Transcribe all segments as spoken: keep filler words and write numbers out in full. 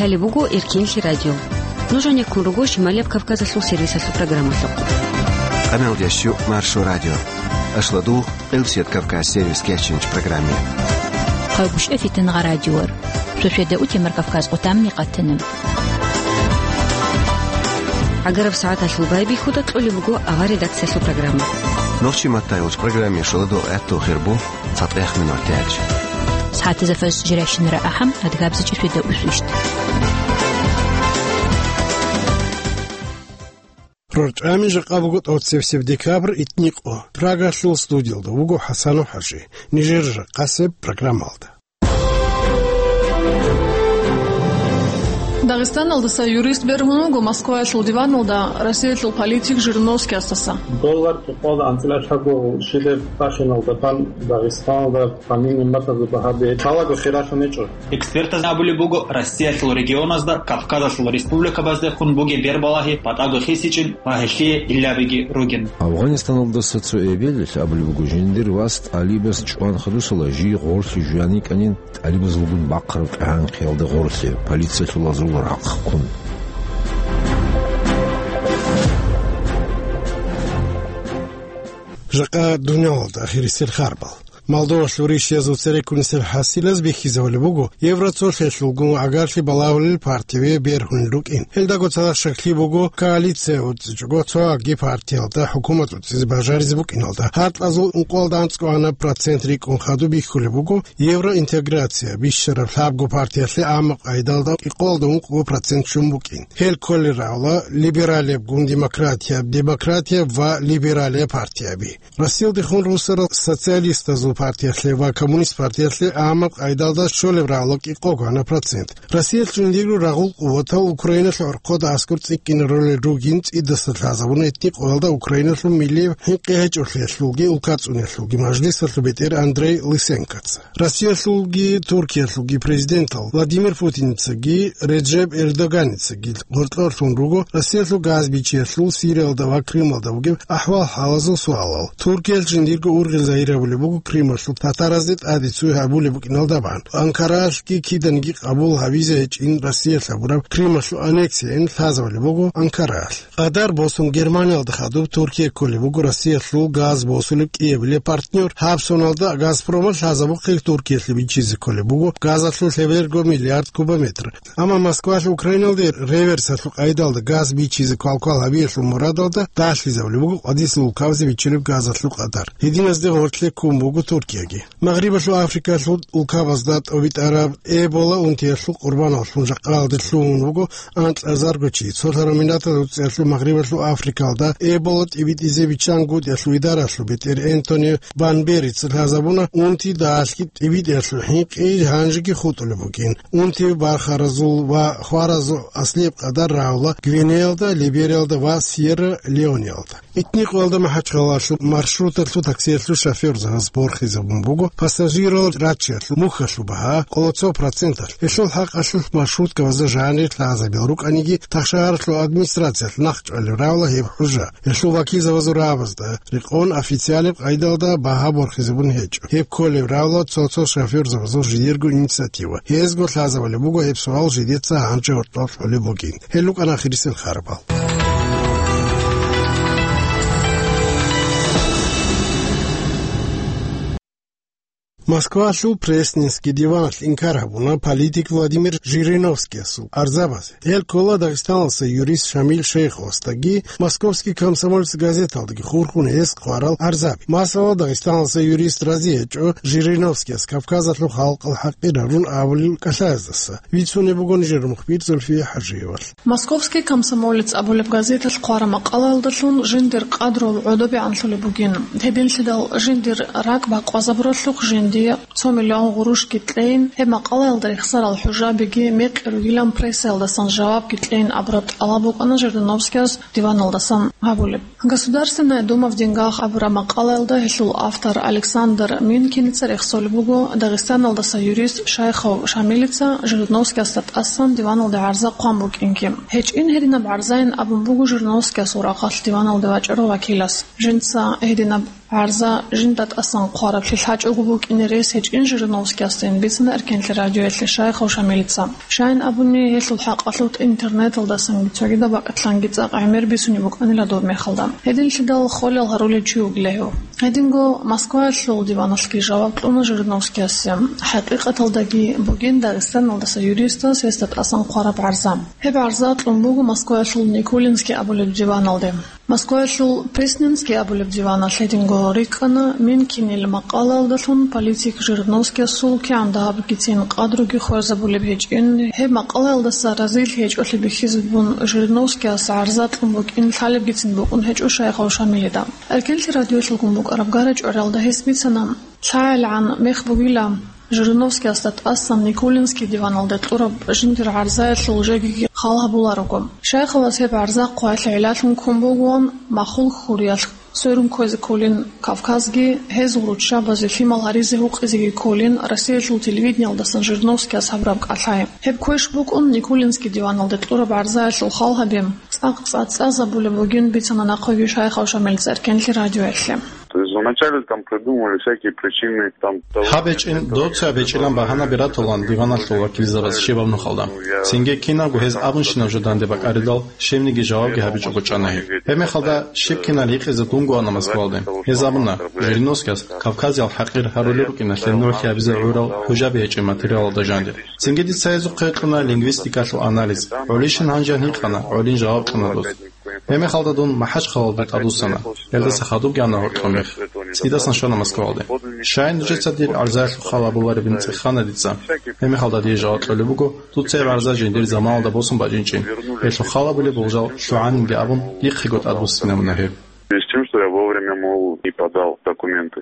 Гьале буго Эркинлъи радио. Нуж гьанеккун руго Шималияб Кавказалъул сервисалъул программалъухъ. Къамелдеш Маршо радио. Ашладу, Къилсият Кавказ сервис кечинч программе. Хъалгушев Фитнагъа радиор. Шошеда утемар Кавказ къутамни къатана. ГӀагараб сагӀаталъул байбихьуда кьолеб буго авар редакциялъул программа. Нохчи маттайулч программе шоладу гӀатту хирбу. ЦатӀех минутаялъ. СагӀатазда фаз жирайщинара ахӀам, адгабзичӀеб шведа усвищт. РорчӀами жакъа буго тӀоцевсеб декабрь итникъо. Прагалъул студиялда вуго ХӀасанов ХӀажи. Нижер жакъасеб программалда. Дагъистаналдаса юрист бергьун вуго Москваялъул диваналда Россиялъул политик Жириновскиясдаса. Доллар кӀикъоялда анцӀила чагу шилеб бахиналда бан Дагъистаналда фамилия матазда багьаби лъалаго хиралъун гьечӀо. Экспертаз абулеб буго, Россиялъул регионазда, Кавказалъул республикабаздехун бугеб бербалагьи батӀаго хисичӀин ва гьелъие илабиги ругин. Афганистаналдаса цо эбелалъ абулеб буго, жиндир вас тӀалибас чӀван хадусала жий гъорлъи жуян йикӀанин, тӀалибазулгун бахъараб къагӀан хъиялда гъорлъе, полициялъул азул рахъ ккун. Жакъа дуниялалда ахирисел харбал. Молдовалъул ришиязул цереккунисел хӀасилаз бихьизавулеб буго, Евроцолъиялъулгун гӀагарлъи балагьулел партияби бергьунел рукӀин. Гьелдаго цадахъ щаклъи буго, коалиция уцӀичӀого цоги партиялда хӀукумат уцӀизе бажаризе букӀиналда. Гьаркьазул ункъоялда анцӀго гьанаб процент рикӀкӀун хадуб бихьулеб буго, евроинтеграция бищараб лъабго партиялъе амма къайдалда кӀикъоялда ункъго процент щун букӀин. Гьел кколел равла либералиябгун демократияб, демократияб ва либералияб партияби. Россиялдехун руссарал социалистазул партиялъе ва коммунист партиялъе амма къайдалда щолеб равла кӀикъого гьанаб процент. Россиялъ жиндирго рагъул къуватал Украиналъул гӀорхъода аскӀор цӀикӀкӀинарулел ругин цӀидаса лъазабуна итни къоялда Украиналъул милли хӀинкъи гьечӀолъиялъулги улкацӀуниялъулги мажлисалъул бетӀер Андрей Лысенкоца. Россиялъулги Туркиялъулги президентал Владимир Путиницаги Реджеп Эрдоганицаги гъоркьорлъун руго Россиялъул газ бичиялъул Сириялда ва Крымалда бугеб ахӀвал-хӀалазул суалал. Туркиялъ жиндирго ургъел загьир гьабулеб буго Крымалъул татаразде тӀаде цуй гьабулеб букӀиналда бан. Анкараялъги киданиги къабул гьабизе гьечӀин Россиялъ гьабураб Крымалъул аннексияин лъазабулеб буго Анкараялъ. Къадар босун Германиялда хадуб Туркия кколеб буго Россиялъул газ босулеб кӀиабилеб партнер. Гьаб соналда Газпромалъ лъазабухъе Туркиялъе бичизе кколеб буго газалъул лъеберго миллиард кубометр. Амма Москвалъ Украиналде реверсалъул къайдалда газ бичизе квалквал гьабиялъул мурадалда далъизабулеб буго къвадилъ улкабазе биччалеб газалъул къадар. Гьединазде гъорлъе ккун буго Туркияги. Магърибалъул Африкалъул улкабазда тӀобитӀараб Эбола унтиялъул къурбаналлъун жакъаялде лъугьун вуго анкьазарго чи. Цолъараб минаталда уцӀиялъул Магърибалъул Африкалда Эбола тӀибитӀизе биччан гутӀиялъул идаралъул бетӀер Энтони Банберица лъазабуна унти далъги тӀибитӀиялъул хӀинкъи гьанжеги хутӀулеб бугин. Унти бархаразул ва хваразул аслияб къадар рагьула Гвинеялда, Либериялда ва Сьерра-Леонеялда. Итни къоялда МахӀачхъалалъул маршруталъул таксиялъул шофёрзабаз борхизабун буго пассажирал раччаялъул мухьалъул багьа къоло цо проценталъ. Гьелъул хӀакъалъулъ маршруткабазда жанир лъазабил рукӀаниги, тахшагьаралъул администрациялъ нахъчӀвалеб равла гьеб хӀужа. Гьелъул вакилзабазул рагӀабазда рекъон официалеб къайдалда багьа борхизабун гьечӀо. Гьеб кколеб равла цо-цо шофёрзабазул жидерго инициатива. Гьезго лъазабулеб буго гьеб суал жидеца гьанже гьоркьоб кьолеб бугин. Гьел рукӀана ахирисел харбал. Москвалъул Пресненский диваналъ инкар гьабуна политик Владимир Жириновскиясул гӀарзабазе. Гьел ккола Дагъистаналдаса юрист Шамил Шейховасдаги Московский комсомолец газеталдаги хурхун гьес хъварал гӀарзаби. Масала, Дагъистаналдаса юрист рази гьечӀо Жириновскияс Кавказалъул халкъалъ хӀакъир гьарун абулел кӀалъаздаса. Бицунеб буго нижер мухбир Зульфия ХӀажиевалъ. Московский комсомолец абулеб газеталъ хъвараб макъалаялдалъун жиндир къадру гӀодобегӀанлъулеб бугин. Гьединлъидал жиндир ракӀ бакъвазабуралъухъ жиндие цо миллион гъурущги кьейин, гьеб макъалаялда рехсарал хӀужабиги мекъи ругилан прессаялдасан жавабги кьейин абураб тӀалаб букӀана Жириновскияс диваналдасан гьабулеб. Государственная дума в деньгах абураб макъалаялда гьелъул автор Александр Минкиница рехсолеб буго Дагъистаналдаса юрист Шайхов Шамилица Жириновскиясда тӀасан диваналде гӀарза хъван букӀинги. ГьечӀин гьединаб гӀарзайин абун буго Жириновскиясул рахъалъ диваналде вачӀарав вакилас. Жинца гьединаб ГӀарза жинда тӀасан хъвараблъи лъачӀого букӀине рес гьечӀин Жириновскиясдин, бицана Эркенлъи радиоялъе Шайхов Шамилица. Щайин абуни, гьелъул хӀакъалъулъ интернеталдасанги цогидаб бакӀалъанги цӀакъ гӀемер бицунеб букӀанила доб мехалда. Гьединлъидал холел гьарулев чи вугила гьев. Гьединго Москваялъул диваналъги жаваб кьуна Жириновскиясе. ХӀакъикъаталдаги бугин Дагъистаналдаса юристас гьесда тӀасан хъвараб гӀарза. Гьеб гӀарза кьун буго Москваялъул Никулинский абулеб диваналде. Москваялъул Пресненский абулеб диваналъ гьединго рикӀкӀана Минкинил макъалаялдалъун политик Жириновскиясул кигӀан дагьабгицин къадруги хвезабулеб гьечӀин, гьеб макъалаялдаса разилъи гьечӀолъи бихьизабун Жириновскияс гӀарза кьун букӀин лъалебгицин букӀун гьечӀо Шайхов Шамилида. Эркенлъи радиоялъулгун букӀараб гара-чӀвариялда гьес бицана, лъагӀелгӀан мех бугила, Жириновскиясда тӀасан Никулинский диваналде кьураб жиндир гӀарзаялъул жегиги хал гьабуларого. Шайховас гьеб гӀарза хъвайлъи гӀиллалъун ккун бугоан, махул хьуриялъ сверун кквезе кколин Кавказги, гьезул руччабазе лъимал гьаризе гьукъизеги кколин Россиялъул телевидениялдасан Жириновскияс гьабураб кӀалъай. Гьеб квеш букӀун Никулинский диваналде кьураб гӀарзаялъул хал гьабе, цӀакъ цӀа-, цӀацӀазабулеб бугин бицана нахъеги Шайхов Шамилица Эркенлъи радиоялъе. То есть вначале там придумывали всякие причины, там, того, Гьаб гьечӀин, этого, доцая гьечӀилан багьанаби ратулан диваналъул вакилзабаз щибаб нухалда. Цинги кинабго гьез абунщинаб жо данде бакӀаридал, щибниги жавабги гьабичӀого чӀана гьеб. Гьебмехалда щиб кинал гьикъизе дунго ана Москвалде. Гьез абуна, Жириновскияс Кавказиял хӀакъир гьарулел рукӀиналъе нугӀлъи гьабизе гӀурал хӀужаби гьечӀеб материалалда жанир. Цинги дица гьезухъе кьуна лингвистикалъул анализ. ГӀолищин гьанже гьикъана, гӀолин жаваб кьуна дос. Гьебмехалда дун МахӀачхъалалде тӀадвуссана. Гьелдаса хадубги ана гьоркьоб мех. ЦӀидасан щвана Москвалде. Щай нужеца дир гӀарзаялъул хал гьабуларебин цӀехана дица. Гьебмехалда дие жаваб кьолеб буго, дуца гьеб гӀарза жиндир заманалда босун бачӀинчӀин. Гьелъул хал гьабулеб болжал лъугӀанинги абун, дихъего тӀадвуссинабуна гьеб. С тем, что я вовремя, мол, не подал документы.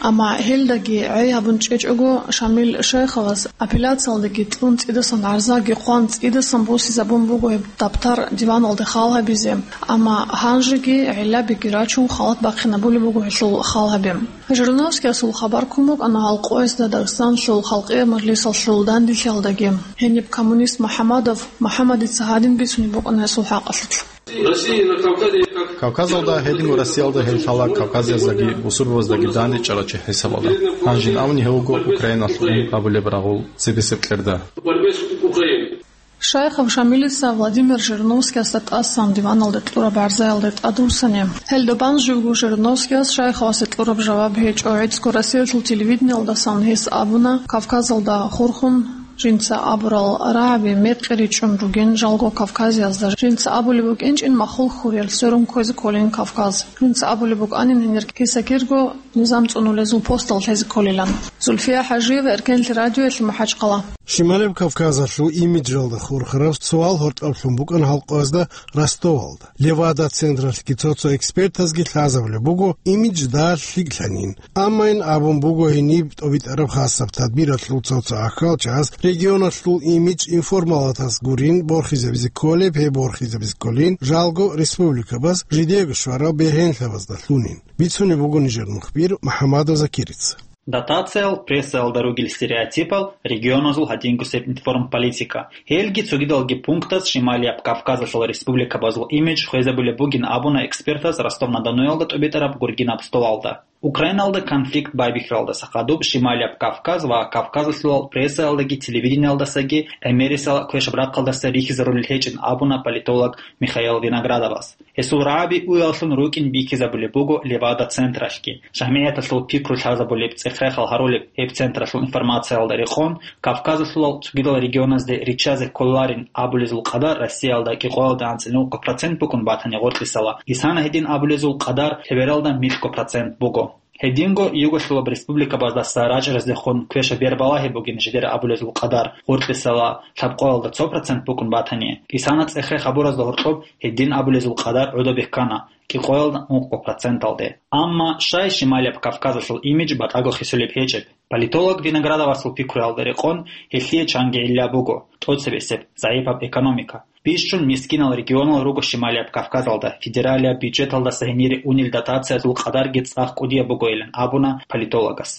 Амма гьелдаги гӀей гьабун чӀечӀого, Шамил Шайховас апелляциялдаги кьун цӀидасан гӀарзаги хъван цӀидасан босизабун буго гьеб даптар диваналде хал гьабизе, амма гьанжеги гӀиллабиги рачун халат бахъинабулеб буго гьелъул хал гьабе. Жириновскиясул хабар ккун букӀана гьал къоязда Дагъистаналъул халкъиял мажлисалъул данделъиялдаги. Гьениб коммунист МухӀаммадов МухӀаммадица гьадин бицунеб букӀана гьесул хӀакъалъулъ. Россия на Кавказе как Кавказалда гьединго Россиялда гьел лъала кавказияздаги бусурбабаздаги дандечӀарав чи хӀисабалда. Гьанжин абуни гьев вуго Украиналъ ун гьабулеб рагъул цебесеб кьерда. Борьбе с Украиной. Шайхов Шамилица Владимир Жириновскиясда тӀасан диваналде кьураб гӀарзаялде тӀадвуссани. Гьелда бан живго Жириновскияс Шайховасе кьураб жаваб гьечӀо. ГӀицӀго Россиялъул телевидениялдасан гьес абуна, Кавказалда хурхун, жинца абурал рагӀаби мекъи ричӀчӀун ругин, жалго Кавказиязда жинца абулеб букӀинчӀин махул хьуриял сверун кквезе кколин Кавказ. Жинца абулеб букӀанин гьенир киса-кирго низам цӀунулезул постал лъезе кколилан. Зульфия ХӀажиева, Эркенлъи радиоялъе, МахӀачхъала. Шималаб Кавказалъул имиджалда хурхараб суал гьоркьоблъун букӀана гьал къоязда Ростовалда. Левада централъги цо-цо экспертазги лъазабулеб буго имидж дагьа лъикӀлъанин. Аммайин абун буго гьениб тӀобитӀараб хасаб тадбиралъул цо-цо ахӀалчагӀаз регионалъул имидж информалатас гурин борхизабизе кколеб, гьеб борхизабизе кколин жалго республикабаз жидеего щварал бергьенлъабаздалъунин. Бицунеб буго нижер мухбир МухӀаммадов Закирица. Дотациял, прессаялда ругел стереотипал, регионазул гьадингусеб информполитика. Гьелги цогидалги пунктаз Шималияб Кавказалъул республикабазул имидж хвезабулеб бугин абуна экспертаз Ростов-на-Доноялда тӀобитӀараб гургинаб столалда. Украиналда конфликт байбихьаралдаса хадуб Шималияб Кавказ ва Кавказалъулал прессаялдаги телевидениялдасаги гӀемерисел квешаб рахъалдаса рихьизарулел гьечӀин абуна политолог Михаил Виноградовас. Гьесул рагӀаби уяллъун рукӀин бихьизабулеб буго Левада централъги. ЖамигӀяталъул пикру лъазабулеб, цӀех-рехал гьарулеб гьеб централъул информациялда рекъон, Кавказалъулал цогидал регионазде риччазе кколарин абулезул къадар Россиялда кӀикъоялда анцӀила нукъа процент букӀун батани гъоркьисала, исана гьедин абулезул къадар лъебералда микьго процент буго. Гьединго югалъулаб республикабаздаса рачӀараздехун квешаб бер балагьи бугин жидер абулезул къадар гъоркьисала лъабкъоялда цо процент букӀун батани, исана цӀех-рех гьабуразда гьоркьоб гьедин абулезул къадар гӀодобе ккана кӀикъоялда нукъго проценталде. Амма щай Шималияб Кавказалъул имидж батӀаго хисулеб гьечӀеб? Политолог Виноградовасул пикруялда рекъон, гьелъие чанги гӀилла буго: тӀоцебесеб, загӀипаб экономика. Бищун мискинал регионал руго Шималияб Кавказалда, федералияб бюджеталдаса гьенире унел дотациязул къадарги цӀакъ кӀудияб бугойилан абуна политологас.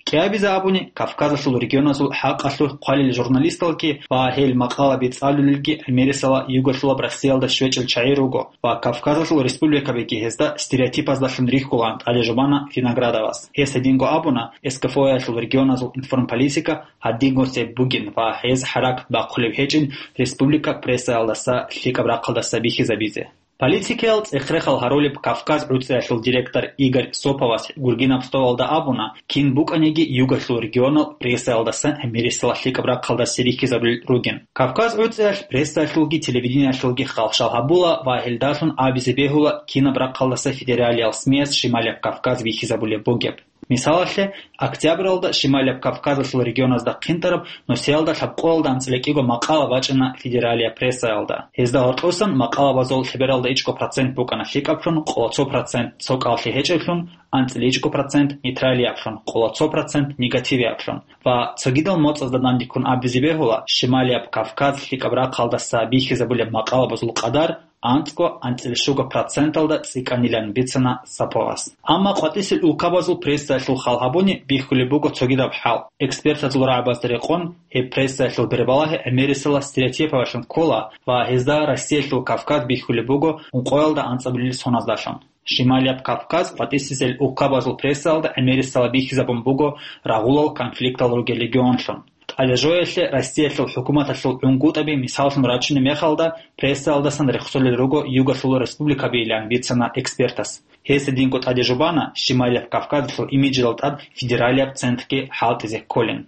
КӀиабизе абуни, Кавказалъул регионазул хӀакъалъулъ хъвалел журналисталги ва гьел макъалаби цӀалулелги гӀемерисела югалъулаб Россиялда щвечӀел чагӀи руго ва Кавказалъул республикабиги гьезда стереотипаздалъун рихьулаан тӀаде жубана Виноградовас. Гьес гьединго абуна, СКФО-ялъул регионазул информполитика гьадинго цеб бугин ва гьез хӀаракат бахъулеб гьечӀин республика прессаялдаса лъикӀаб рахъалдаса бихьизабизе. Политикиял цӀех-рехал гьарулеб Кавказ гӀуцӀиялъул директор Игорь Соповас гургинаб столалда абуна, кин букӀаниги югалъул регионал прессаялдасан гӀемерисела лъикӀаб рахъалдасе рихьизабулел ругин. Кавказ гӀуцӀиялъ прессаялъулги телевидениялъулги халшал гьабула ва гьелдалъун абизе бегьула, кинаб рахъалдаса федералиял СМИяс Шималияб Кавказ бихьизабулеб бугеб. Мисалалъе, октябралда Шималияб Кавказалъул регионазда хъинтӀараб нусиялда лъабкъоялда анцӀила кӀиго макъала бачӀана федералияб прессаялда. Гьезда гьоркьосан макъалабазул лъебералда ичӀго процент букӀана лъикӀаблъун, къоло цо процент цо кӀаллъи гьечӀеблъун, анцӀила ичӀго процент нейтралияблъун, къоло цо процент негативияблъун. Ва цогидал моцӀазда дандеккун абизе бегьула, Шималияб Кавказ лъикӀаб рахъалдаса бихьизабулеб макъалабазул къадар анцӀго-анцӀила щуго проценталда цӀикӀкӀанилан бицана Соповас. Амма къватӀисел улкабазул прессаялъул хал гьабуни бихьулеб буго цогидаб хӀал. Экспертазул рагӀабазда рекъон, гьеб прессаялъул бербалагьи гӀемерисела стереотипаялъун ккола ва гьезда Россиялъул Кавказ бихьулеб буго ункъоялда анцӀабилел соназдалъун. Шималияб Кавказ къватӀисел улкабазул прессаялда гӀемерисела бихьизабун буго рагъулал конфликтал ругел регионлъун. ТӀадежоялъе Россиялъул хӀукуматалъул гӀунгутӀаби мисаллъун рачунеб мехалда, прессаялдасан рехсолел руго югалъул республикабийилан бицана экспертас. Гьес гьединго тӀаде жубана Шималияб Кавказалъул имиджалда тӀад федералияб центрги хӀалтӀизе кколин.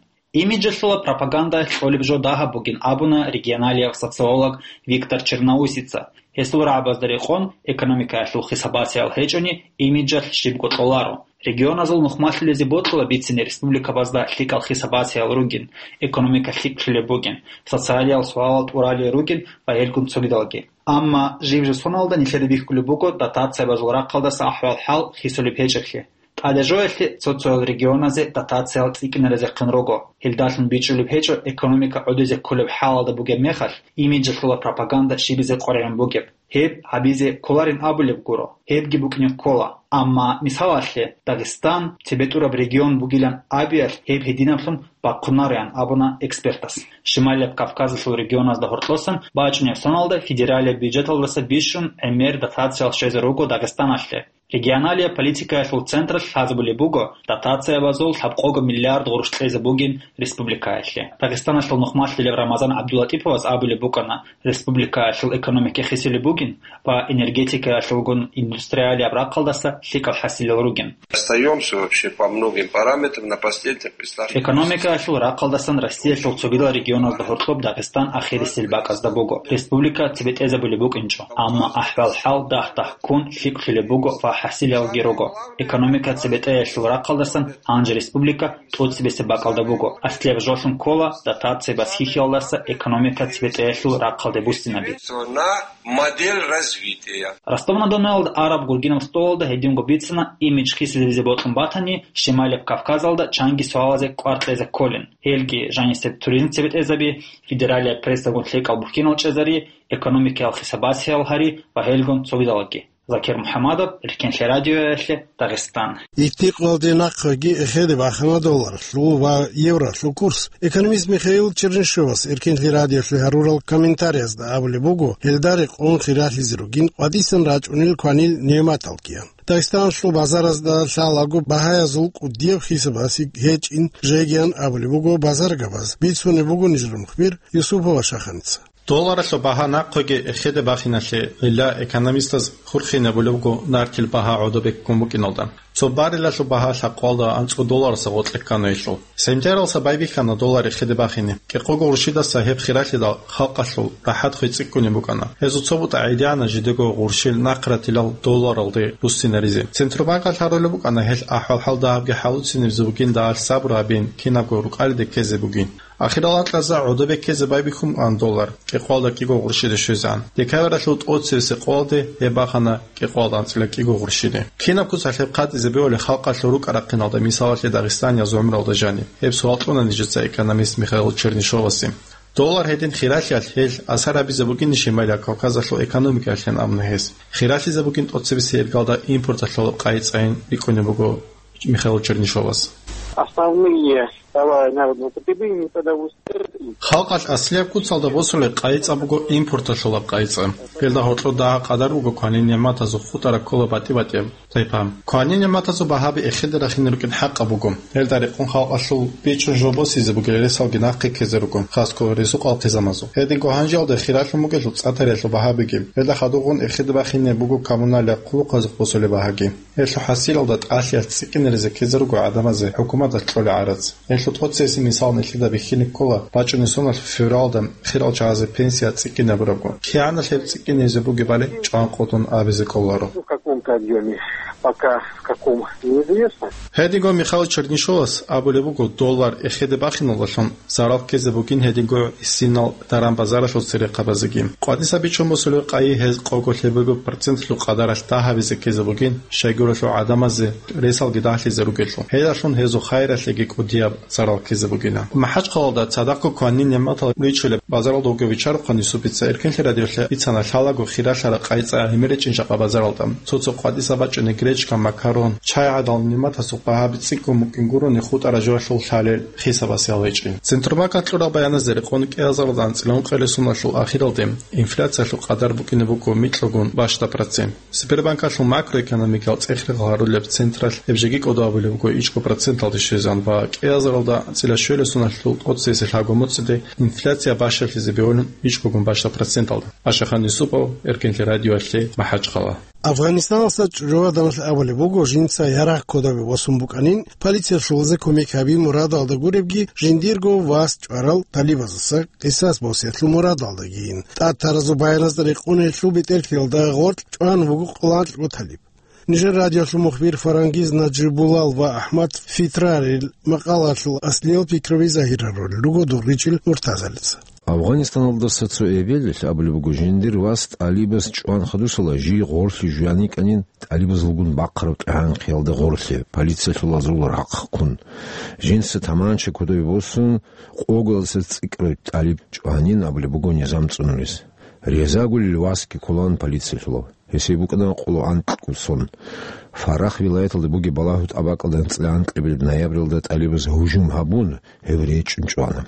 Имиджалъула пропаганда кьолеб жо дагьаб бугин абуна регионалияб социолог Виктор Черноусица. Гьесул рагӀабазда рекъон, экономикаялъул хисабациял гьечӀони, имиджалъ щибго кьоларо. Регионазул нухмалъулезе бокьула бицине республикабазда лъикӀал хисабациял ругин, экономика лъикӀлъулеб бугин, социалиял суалал тӀуралел ругин ва гьелгун цогидалги. Амма жиб-жиб соналда нилъеда бихьулеб буго дотациябазул рахъалдаса ахӀвал-хӀал хисулеб гьечӀеблъи. ТӀадежоялъе цо-цоял регионазе дотациял цӀикӀкӀинаризехъин руго. Гьелдалъун бичӀчӀулеб гьечӀо экономика гӀодизе кколеб хӀалалда бугеб мехалъ, имиджалъула пропаганда щибизе къваригӀун бугеб. Гьеб гьабизе кколарин абулеб гуро, гьебги букӀине ккола. Амма, мисалалъе, Дагъистан цебетӀураб регион бугилан абиялъ гьеб гьединаблъун бахъунарин абуна экспертас. Шималияб Кавказалъул регионазда гьоркьосан бачӀунеб соналда федералияб бюджеталдаса бищун гӀемер дотациялъ щвезе руго Дагъистаналъе. Регионалияб политикаялъул централъ лъазабулеб буго, дотациябазул лъабкъого миллиард гъурущ кьезе бугин республикаялъе. Дагъистаналъул нухмалъулев Рамазан ГӀабдуллатӀиповас абулеб букӀана, республикаялъул экономика хисулеб бугин ва энергетикаялъулгун индустриалияб рахъалдаса лъикӀал хӀасилал ругин. Остаёмся вообще по многим параметрам на последних местах. Экономикаялъул рахъалдасан Россиялъул цогидал регионазда гьоркьоб Дагъистан ахирисел бакӀазда буго. Республика цебетӀезабулеб букӀинчӀо, амма ахӀвал-хӀал дагь-дагь ккун лъикӀлъулеб буго ва хӀасилалги руго. Экономика цебетӀеялъул рахъалдасан гьанже республика тӀоцебесеб бакӀалда буго. Аслияб жолъун ккола дотация басихьиялдаса экономика цебетӀеялъул рахъалде буссинаби. На модель развития. Ростов-на-Доналда араб гургинаб столалда гьединго бицана, имидж хисизабизе бокьун батани, Шималияб Кавказалда чанги суалазе кӀвар кьезе кколин. Гьелги жанисеб туризм цебетӀезаби, федералияб прессагун лъикӀал бухьинал чӀезари, экономикаял хисабациял гьари ва гьелгун цогидалги. Закир МухӀаммадов, Эркенлъи радиоялъе, Дагъистан. Итдикъалде нахъеги эхеде бахана долларлъул ва евролъул курс. Экономист Михаил Чернышевас Эркенлъи радиолъе гьарурал комментариязда абулеб буго, гьелда рекъон хиралъизе ругин къватӀисан рачӀунел кванил нигӀматалгиян. Дагъистаналъул базаразда лъалаго багьаязул кӀудияб хисабасеб гьечӀин жегиян абулеб буго базаргабаз, бицунеб буго нижер мухбир Юсупова Шаханица. Долларалъул багьа нахъеги эхеде бахиналъе гьелда экономистаз хурхинабулеб буго нартил багьа гӀодобеккун букӀиналда. Цо баррелалъул багьа лъабкъоялда анцӀго доллараса гъоркье ккана гьелъул. Сентябралса байбихьана доллар эхеде бахине. КӀикъого гъурщидаса гьеб хиралъидал халкъалъул рахӀат хвецӀиккунеб букӀана. Гьезул цо бутӀа гӀедегӀана жидего гъурщил нахъратилал долларалде буссинаризе. Центробанкалъ гьарулеб букӀана гьел ахӀвал-хӀал дагьабги хӀалуцинабизе бугин дагьалъ сабру гьабин, кинабго рукӀалиде ккезе бугин. Ахирал анкьазда гӀодобе ккезе байбихьун букӀана доллар, кӀикъоялда кӀиго гъурщиде щвезегӀан. Декабралъул тӀоцебесеб къоялде гьеб бахана кӀикъоялда анцӀила кӀиго гъурщиде. Кинаб куцалъ гьеб хъатӀизе бегьулеб халкъалъул рукӀа-рахъиналда, мисалалъе, Дагъистаниязул гӀумралда жаниб? Гьеб суал кьуна нижеца экономист Михаил Чернышевасе. Доллар гьедин хиралъиялъ гьел асар гьабизе бугин Шималияб Кавказалъул экономикаялъин абуна гьес. Хиралъизе бугин тӀоцебесеб иргалда импорталъул къайи цӀайин рикӀкӀунеб буго Михаил Чернышевас. Основные товары народного потребления не продовольствие. Халкъалъ аслияб куцалда босулеб къайи-цӀа буго импорталъулаб къайи-цӀа. Гьелда гьоркьоб дагьаб къадар буго кванин нигӀматазул хутӀараб ккола батӀи-батӀияб тайпа. Кванин нигӀматазул багьаби эхеде рахине рукӀин хӀакъаб буго. Гьелда рекъон халкъалъул бичӀчӀун жо босизе бугел ресалги нахъе ккезе руго, хасго ризкъу къалтизамазул. Гьединго гьанжеялда хиралъун бугелъул цӀа-тариялъул багьабиги. Гьелда хадубгъун эхеде бахине буго коммуналияб хъулухъазухъ босулеб багьаги. Гьелъул хӀасилалда тӀалъиялъ цӀикӀкӀинеризе ккезе руго гӀадамазе хӀукуматалъ кьолеб гӀарац. Гьелъул тӀоцебесеб мисал нилъеда бихьине ккола бачӀунеб соналъ февралда хирал чагӀазе пенсия цӀикӀкӀинабурабго. КигӀанал гьеб цӀикӀкӀинабизе бугебали чӀван къотӀун абизе кӀоларо. В каком-то объёме, пока в каком, неизвестно. Гьединго Михаил Чернышовас абулеб буго, доллар эхеде бахиналдалъун зарал ккезе бугин, гьединго гьисинал даран-базаралъул церехъабазеги. КъватӀиса бичӀчӀун босулеб къайи гьез къого-лъебего процентлъул къадаралъ дагьабизе ккезе бугин, щайгурелъул гӀадамазе ресалги дагьлъизе ругелъул. Гьелдалъун гьезул хайиралъеги кӀудияб зарал ккезе бугила. МахӀачхъалалда цадахъго кванин нигӀматал ричулеб базаралда вугев Бичарухъан Юсупица Эркенлъи радиолъе бицана лъалаго хиралъараб къайи-цӀа гӀемеричӀин жакъа базаралда. Цо-цо къватӀиса бачӀунеб гречка, макарон, чай гӀадал нигӀматасул багьаби цӀикӀкӀун букӀин гурони хутӀараб жоялъул лъалел хисабас ял гьечӀин. Центробанкалъ кьураб баяназда рекъон кӀиазаралда анцӀила ункъоялда соналъул ахиралде инфляциялъул къадар букӀине буго микьгун бащда процент. Сбербанкалъул макроэкономикал цӀех-регъал гьарулеб централъ гьеб жеги кӀодо абулеб буго ичӀго проценталде щвезан ва кӀиазаралда анцӀила щуялда соналъул тӀоцебесеб лъабго моцӀиде инфляция бащалъизе бегьулин ичӀгогун бащда проценталда. Ашахан Юсупов, Эркенлъи радиоялъе, МахӀачхъала. Афганистаналъа чӀужугӀаданалъ абулеб буго, жинца ярагъ кодобе босун букӀанин, полициялъулазе кумек гьаби мурадалда гуребги, жиндирго вас чӀварал талибаздаса къисас босиялъул мурадалдагийин. ТӀад таразул баяназда рекъон гьелъул бетӀерлъиялда гъоркь чӀван вуго къоло анкьго талиб. Нижер радиоялъул мухбир Фарангиз Наджибулал ва Ахмад Фитрарил макъалаялъул аслиял пикруби загьир гьарулел руго Дугъричил Муртазалица. Афганистаналдаса цо эбелалъ абулеб буго, жиндир вас тӀалибас чӀван хадусала жий гъорлъе жуян йикӀанин, тӀалибазулгун бахъараб тӀегӀанхъиялда гъорлъе, полициялъулазул рахъ ккун. Жинца таманча кодобе босун, къоялдаса цӀикӀкӀараб тӀалиб чӀванин абулеб буго низам цӀунулес. Резагулил васги кколаан полициялъулав. Гьесие букӀана къоло анкьго сон. Фарах вилаяталда бугеб балагьу тӀабакӀалда анцӀила анкьабилеб ноябралда тӀалибаз гьужум гьабун, гьев речӀчӀун чӀвана.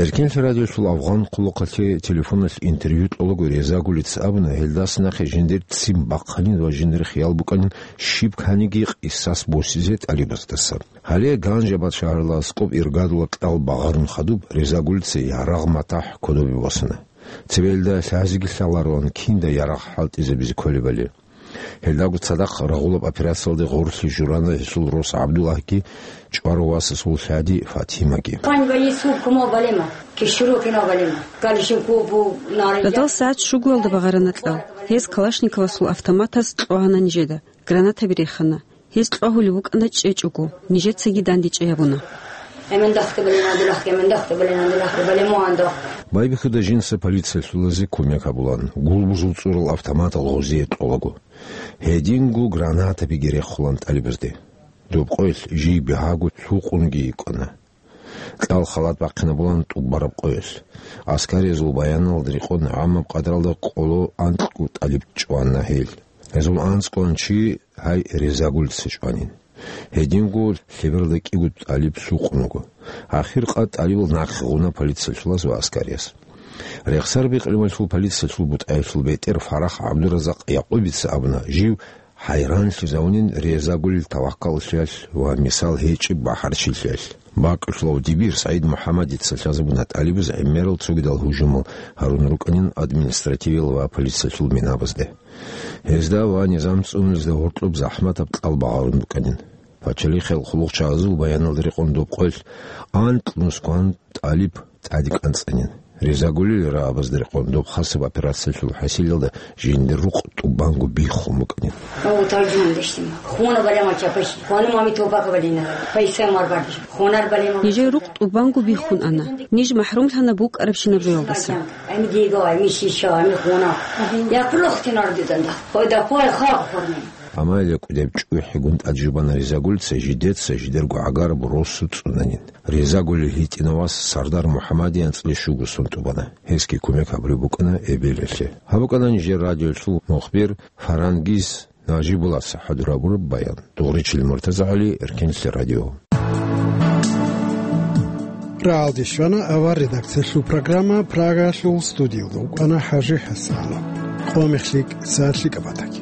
Эркенлъи радиоялъул афгъан хъулухъалъе телефоналъ интервью кьолаго Резагулица абуна, гьелдаса нахъе жиндир ццин бахъанин ва жиндир хиял букӀанин щиб кканиги къисас босизе тӀалибаздаса. Гьале Ганжабад шагьаралда аскӀоб иргадула кьал багъарун хадуб, Резагулица ярагъ-матахӀ кодобе босана. Цебе гьелда лъазеги лъалароан кинда ярагъ хӀалтӀизабизе кколебали. Гьелдаго цадахъ рагъулаб операциялде гъорлъе журана гьесул рос ГӀабдуллагьги чӀварав васасул лъади Фатимаги. Пань ваису кумо балема, кишуру кина балема, калишин кубу нари. Радал сагӀат щугоялда багъарана кьал. Гьез Калашниковасул автоматаз кьвагьана нижеда, гранатаби рехана. Гьез кьвагьулев вукӀана чӀечӀого, нижецаги дандечӀей гьабуна. Эмен дахъе балена дулахъе, эмен дахъе балена дулахъе, бале мугьан дох. Байбихьуда жинца полициялъулазе кумек гьабулан, гулбузул цӀурал автоматал гъозие кьолаго. Гьединго гранатабиги рехулан тӀалибазде. Доб къоялъ жий бигьаго лъукъунги йикӀана. Кьал халат бахъинабулан тӀубараб къоялъ. Аскариязул баяналда рекъон гӀамаб къадралда къоло анкьго тӀалиб чӀвана гьел. Гьезул анцӀгоан чи гьай Резагулица чӀванин. Гьединго лъебералда кӀиго тӀалиб лъукъун вуго. Ахир къад тӀалибал нахъе гъуна полициялъулаз ва аскарияз. Рехсарбикь Рималъул полициялъул бутӀаялъул бетӀер Фарах ГӀабдуразакъ Якъубица абуна, жив хӀайранлъизавунин Резагулил таваккаллъиялъ ва мисал гьечӀеб бахӀарчилъиялъ. БакӀулъулав дибир СагӀид МухӀаммадица лъазабуна тӀалибаз гӀемерал цогидал гьужумал гьарун рукӀанин административиял ва полициялъул минабазде. Гьезда ва низам цӀунезда гьоркьоб захӀматаб кьал багъарун букӀанин. Пачалихъал хъулухъчагӀазул баяналда рекъон доб къоялъ анкьнусгоан тӀалиб тӀаде кӀанцӀанин. Резагулил рагӀабазда рекъон доб хасаб операциялъул хӀасилалда жиндир рукъ тӀубанго биххун букӀанин. О, таржуман дешдима. Хуна балема чапаш. Хуна мами топака балина. Пайса марбардиш. Хунар балема. Нижер рукъ тӀубанго биххун ана. Ниж махӀрумлъана букӀарабщинаб жоялдаса. Ами диго, ами шиша, ами хуна. Я кулухтинар диданда. Хойда кой хаб хурни. Амма гьеле кӀудеб чӀухӀигун тӀаде жубана Резагулица жидеца жидерго гӀагараб росу цӀунанин. Резагулил гьитӀинав вас Сардар МухӀаммадица анцӀила щуго сон тӀубана. Гьесги кумек гьабулеб букӀана эбелалъе. Гьаб букӀана нижер радиоялъул мухбир Фарангиз Нажибуллаца хӀадур гьабураб баян. Дугъричил МуртазагӀали, Эркенлъи радио. Рагьалде щвана авар редакциялъул программа, Прагалъул студиялда вукӀана ХӀажи ХӀасанов. Къо мехлъи кӀиса лъикӀаб батаги.